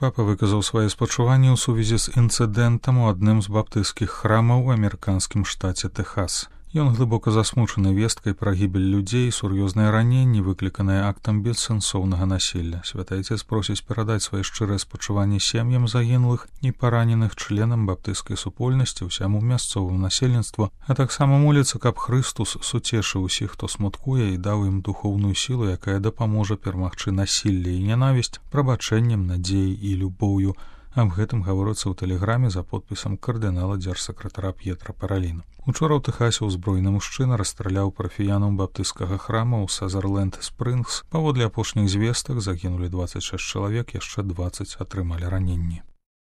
Папа выказаў свае спачуванні ў сувязі з інцыдэнтам у адным з баптысцкіх храмаў у амерыканскім штаце Тэхас. Ён глыбока засмучаны весткай пра гібель людзей і сур'ёзныя раненні, выкліканыя актам бессэнсоўнага насілля. Святы Айцец просіць перадаць свае шчырыя спачуванні сем'ям загінулых і параненых членам баптысцкай супольнасці, ўсяму мясцоваму насельніцтву, а таксама моліцца, каб Хрыстус суцешыў усіх, хто смуткуе, і даў ім духоўную сілу, якая дапаможа перамагчы насілле і нянавісць прабачэннем, надзеяй і любоўю. Аб гэтым гаворыцца ў тэлеграме за подпісам кардынала дзяржсакратара П'етра Параліна. Учора ў Тэхасе ўзброены мужчына расстраляў парафіянаў баптысцкага храма ў Сазерленд-Спрынгс. Паводле апошніх звестак загінулі 26 чалавек, яшчэ 20 атрымалі раненні.